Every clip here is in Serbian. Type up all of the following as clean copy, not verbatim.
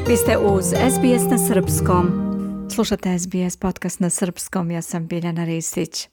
Vi ste uz SBS na srpskom. Slušate SBS podcast na srpskom, ja sam Biljana Ristić.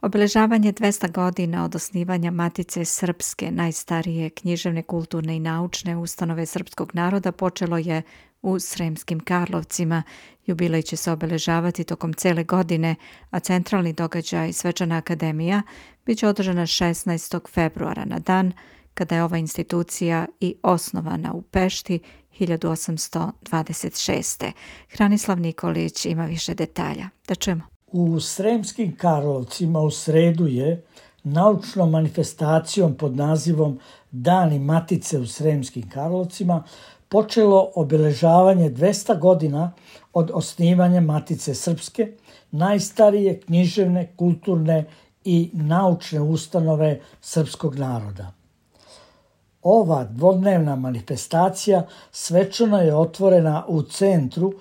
Obeležavanje 200 godina od osnivanja Matice Srpske, najstarije književne, kulturne i naučne ustanove srpskog naroda, počelo je u Sremskim Karlovcima. Jubilej će se obeležavati tokom cele godine, a centralni događaj, Svečana akademija, bit će održana 16. februara, na dan kada je ova institucija i osnovana u Pešti 1826. Hranislav Nikolić ima više detalja. Da čujemo. U Sremskim Karlovcima u sredu je naučnom manifestacijom pod nazivom Dani Matice u Sremskim Karlovcima počelo obeležavanje 200 godina od osnivanja Matice Srpske, najstarije književne, kulturne i naučne ustanove srpskog naroda. Ova dvodnevna manifestacija svečano je otvorena u centru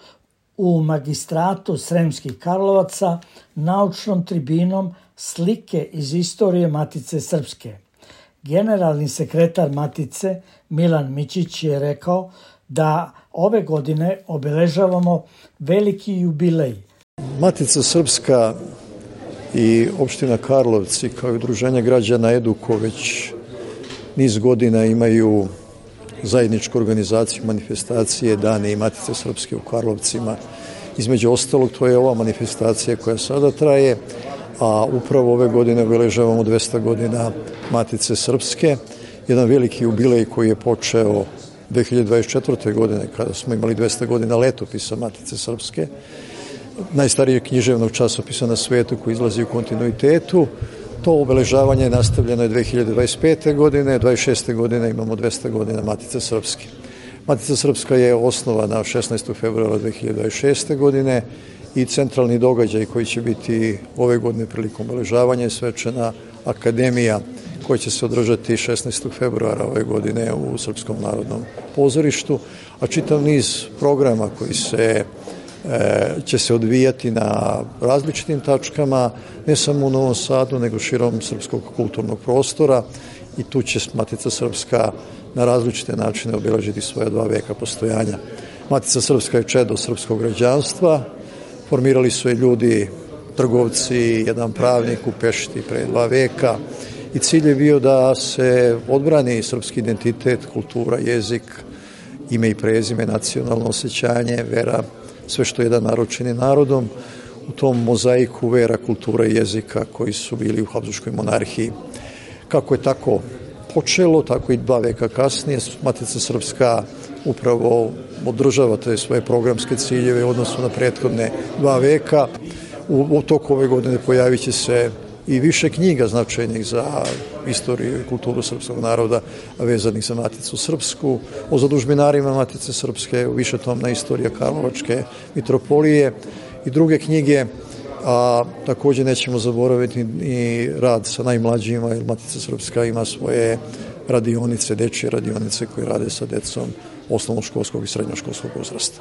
u magistratu Sremskih Karlovaca naučnom tribinom slike iz istorije Matice Srpske. Generalni sekretar Matice Milan Mićić je rekao da ove godine obeležavamo veliki jubilej. Matica Srpska i opština Karlovci kao i udruženje građana Eduko već niz godina imaju zajedničku organizaciju manifestacije Dane i Matice Srpske u Karlovcima. Između ostalog, to je ova manifestacija koja sada traje, a upravo ove godine obeležavamo 200 godina Matice Srpske. Jedan veliki jubilej koji je počeo 2024. godine, kada smo imali 200 godina letopisa Matice Srpske, najstarijeg književnog časopisa na svetu koji izlazi u kontinuitetu. To obeležavanje nastavljeno je 2025. godine, 26. godine imamo 200 godina Matice Srpske. Matica Srpska je osnovana 16. februara 2026. godine i centralni događaj koji će biti ove godine prilikom obeležavanja je Svečana akademija koja će se održati 16. februara ove godine u Srpskom narodnom pozorištu, a čitav niz programa koji će se odvijati na različitim tačkama, ne samo u Novom Sadu, nego širom srpskog kulturnog prostora, i tu će Matica Srpska na različite načine obeležiti svoja 2 veka postojanja. Matica Srpska je čedo srpskog građanstva, formirali su je ljudi, trgovci, jedan pravnik u Pešti pre 2 veka, i cilj je bio da se odbrani srpski identitet, kultura, jezik, ime i prezime, nacionalno osjećanje, vera, sve što jedan narod čini narodom, u tom mozaiku vera, kultura i jezika koji su bili u Habsburškoj monarhiji. Kako je tako počelo, tako i 2 veka kasnije, Matica Srpska upravo održava te svoje programske ciljeve u odnosu na prethodne 2 veka. U toku ove godine pojavit će se i više knjiga značajnih za istoriju i kulturu srpskog naroda vezanih za Maticu Srpsku, o zadužbinarima Matice Srpske, višetomna istorija Karlovačke mitropolije i druge knjige, a također nećemo zaboraviti ni rad sa najmlađima, jer Matica Srpska ima svoje radionice, dečje radionice koje rade sa decom osnovnoškolskog i srednjoškolskog uzrasta.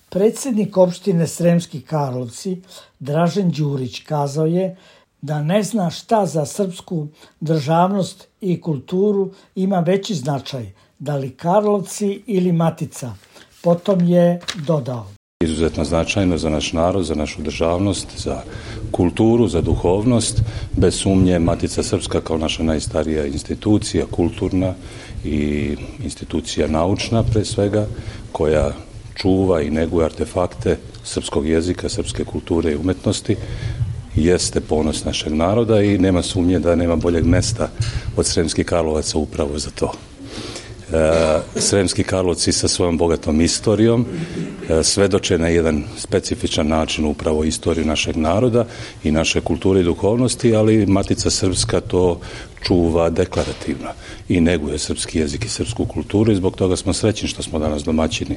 Predsjednik opštine Sremski Karlovci Dražen Đurić kazao je da ne zna šta za srpsku državnost i kulturu ima veći značaj, da li Karlovci ili Matica. Potom je dodao: Izuzetno značajno za naš narod, za našu državnost, za kulturu, za duhovnost. Bez sumnje Matica Srpska kao naša najstarija institucija, kulturna i institucija naučna pre svega, koja čuva i neguje artefakte srpskog jezika, srpske kulture i umetnosti, jeste ponos našeg naroda i nema sumnje da nema boljeg mesta od Sremskih Karlovaca upravo za to. Sremski Karlovci sa svojom bogatom istorijom svedoče na jedan specifičan način upravo istoriju našeg naroda i naše kulture i duhovnosti, ali Matica Srpska to čuva deklarativno i neguje srpski jezik i srpsku kulturu, i zbog toga smo srećni što smo danas domaćini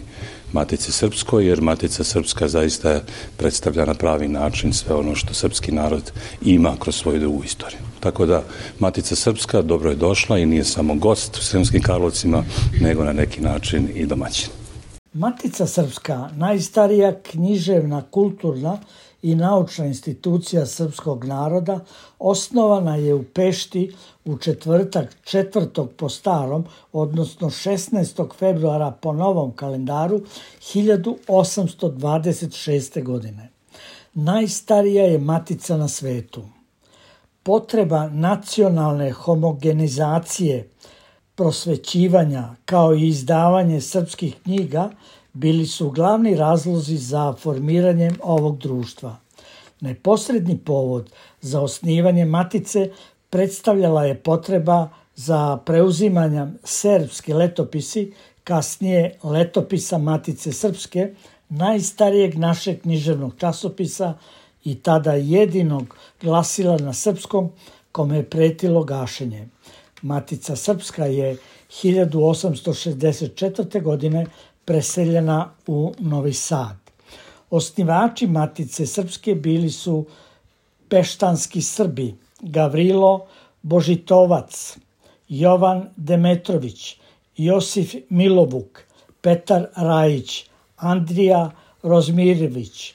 Matici Srpskoj, jer Matica Srpska zaista predstavlja na pravi način sve ono što srpski narod ima kroz svoju dugu istoriju. Tako da Matica Srpska dobro je došla i nije samo gost u Sremskim Karlovcima, nego na neki način i domaćin. Matica Srpska, najstarija književna, kulturna i naučna institucija srpskog naroda, osnovana je u Pešti u četvrtak 4. po starom, odnosno 16. februara po novom kalendaru 1826. godine. Najstarija je matica na svetu. Potreba nacionalne homogenizacije, prosvećivanja kao i izdavanje srpskih knjiga bili su glavni razlozi za formiranjem ovog društva. Neposredni povod za osnivanje matice predstavljala je potreba za preuzimanjem serbski letopisi, kasnije letopisa Matice Srpske, najstarijeg našeg književnog časopisa i tada jedinog glasila na srpskom kome je pretilo gašenje. Matica Srpska je 1864. godine preseljena u Novi Sad. Osnivači Matice Srpske bili su peštanski Srbi Gavrilo Božitovac, Jovan Demetrović, Josif Milovuk, Petar Rajić, Andrija Rozmirević,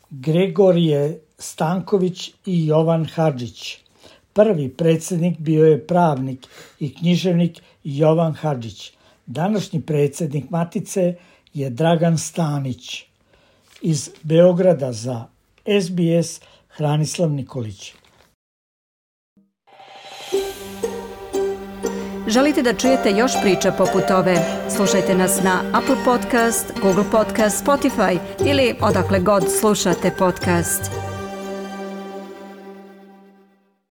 Gregorije Stanković i Jovan Hadžić. Prvi predsjednik bio je pravnik i književnik Jovan Hadžić. Današnji predsjednik Matice je Dragan Stanić. Iz Beograda za SBS Hranislav Nikolić. Želite da čujete još priča poput ove? Slušajte nas na Apple Podcast, Google Podcast, Spotify ili odakle god slušate podcast.